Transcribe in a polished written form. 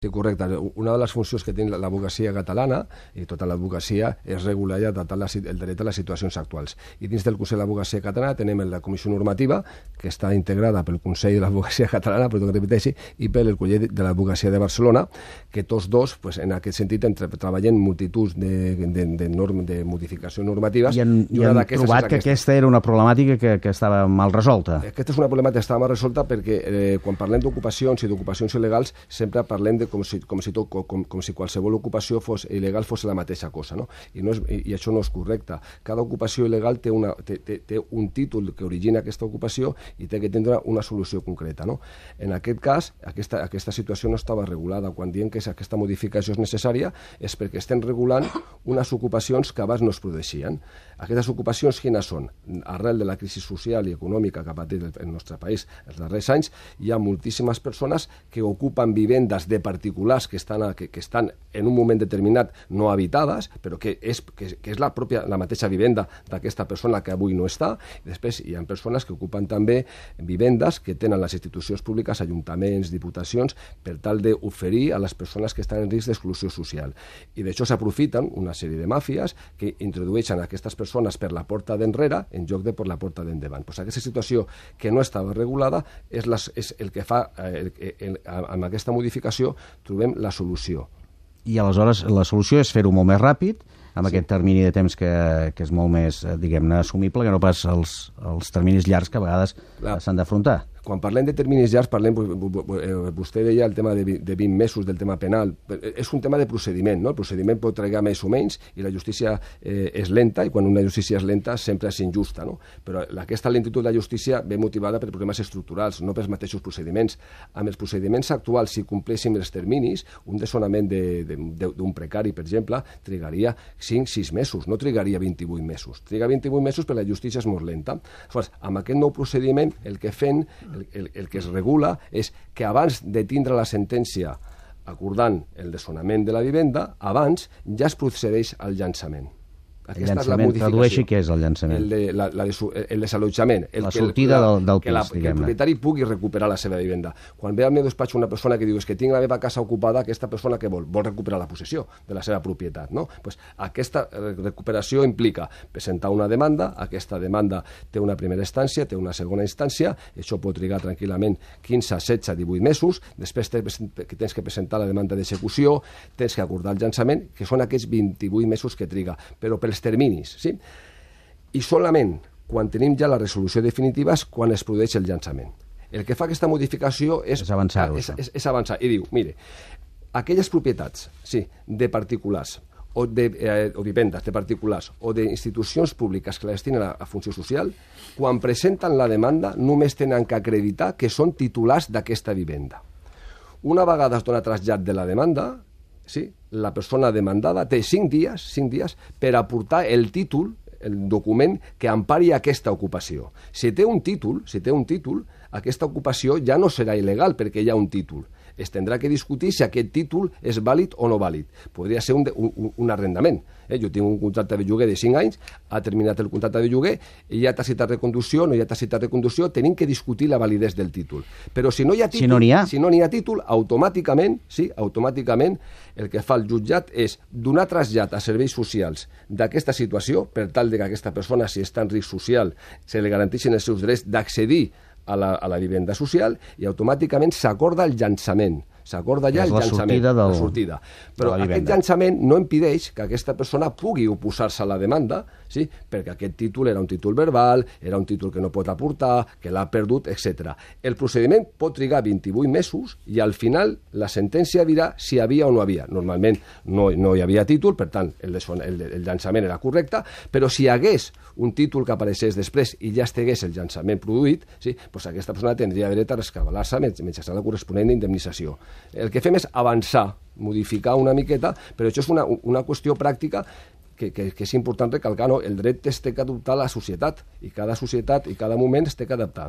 Sí, correcte. Una de les funcions que té l'advocacia catalana, i tota l'advocacia, és regular i adaptar el dret a les situacions actuals. I dins del Consell d'Advocacia Catalana tenim la Comissió Normativa, que està integrada pel Consell de l'Advocacia Catalana, però que repeteixi, i pel Col·legi de l'Advocacia de Barcelona, que tots dos, en aquest sentit, treballen multitud de modificacions normatives. I han trobat que aquesta era una problemàtica que estava mal resolta. Aquesta és una problemàtica que estava mal resolta perquè quan parlem d'ocupacions i d'ocupacions il·legals sempre parlem de com si qualsevol ocupació il·legal fos la mateixa cosa, no? I això no és correcte. Cada ocupació il·legal té un títol que origina aquesta ocupació i té que tindre una solució concreta, no? En aquest cas, aquesta situació no estava regulada. Quan diem que aquesta modificació és necessària és perquè estem regulant unes ocupacions que abans no es produeixien. Aquestes ocupacions quines són? Arrel de la crisi social i econòmica que ha patit el nostre país els darrers anys, hi ha moltíssimes persones que ocupen vivendes de particulars que estan en un moment determinat no habitades, però que és la mateixa vivenda d'aquesta persona que avui no està. I després hi ha persones que ocupen també vivendes que tenen les institucions públiques, ajuntaments, diputacions, per tal d'oferir a les persones que estan en risc d'exclusió social. I d'això s'aprofiten una sèrie de màfies que introdueixen aquestes persones per la porta d'enrere en lloc de per la porta d'endavant. Aquesta situació que no estava regulada és el que fa, amb aquesta modificació, trobem la solució. I aleshores la solució és fer-ho molt més ràpid, amb aquest termini de temps que és molt més, diguem-ne, assumible, que no pas els terminis llargs que a vegades s'han d'afrontar. Quan parlem de terminis llargs, vostè deia el tema de 20 mesos del tema penal. És un tema de procediment, no? El procediment pot trigar més o menys i la justícia és lenta, i quan una justícia és lenta sempre és injusta, no? Però aquesta lentitud de la justícia ve motivada per problemes estructurals, no pels mateixos procediments. Amb els procediments actuals, si compleixin els terminis, un desnonament d'un precari, per exemple, trigaria 5-6 mesos, no trigaria 28 mesos. Triga 28 mesos perquè la justícia és molt lenta. Aleshores, amb aquest nou procediment, el que que es regula és que abans de tindre la sentència acordant el desnonament de la vivenda, abans ja es procedeix al llançament. El llançament, tradueixi què és el llançament. El desallotjament. La sortida del pis, diguem-ne. Que el propietari pugui recuperar la seva vivenda. Quan ve al meu despatx una persona que diu que tinc la meva casa ocupada, aquesta persona què vol? Vol recuperar la possessió de la seva propietat, no? Aquesta recuperació implica presentar una demanda, aquesta demanda té una primera instància, té una segona instància, això pot trigar tranquil·lament 15, 16, 18 mesos, després tens que presentar la demanda d'execució, tens que acordar el llançament, que són aquests 28 mesos que triga, però pels terminis, sí? I solament quan tenim ja la resolució definitiva és quan es produeix el llançament. El que fa aquesta modificació és avançar-ho. És avançar. I diu, mire, aquelles propietats, sí, de particulars o vivendes de particulars o d'institucions públiques que la destinen a funció social, quan presenten la demanda només tenen que acreditar que són titulars d'aquesta vivenda. Una vegada es dona trasllat de la demanda, sí, la persona demandada té 5 dies per aportar el títol, el document que empari aquesta ocupació. Si té un títol, aquesta ocupació ja no serà il·legal perquè hi ha un títol. Es tindrà que discutir si aquest títol és vàlid o no vàlid. Podria ser un arrendament. Jo tinc un contracte de lloguer de 5 anys, ha terminat el contracte de lloguer, hi ha tacitat de reconducció, no hi ha tacitat de reconducció, tenim que discutir la validesa del títol. Però si no hi ha títol, automàticament el que fa el jutjat és donar trasllat a serveis socials d'aquesta situació, per tal que aquesta persona, si està en risc social, se li garanteixin els seus drets d'accedir a la vivenda social, i automàticament s'acorda el llançament. S'acorda ja el llançament, la sortida. Però aquest llançament no impedeix que aquesta persona pugui oposar-se a la demanda, sí? Perquè aquest títol era un títol verbal, era un títol que no pot aportar, que l'ha perdut, etc. El procediment pot trigar 28 mesos i al final la sentència dirà si hi havia o no havia. Normalment no hi havia títol, per tant el llançament era correcte, però si hi hagués un títol que apareixés després i ja estigués el llançament produït, sí? Doncs aquesta persona tindria dret a rescabalar-se mitjançant la corresponent indemnització. El que fem és avançar, modificar una miqueta, però això és una qüestió pràctica que és important recalcar, no? El dret es té que adoptar a la societat, i cada societat i cada moment es té que adaptar, no?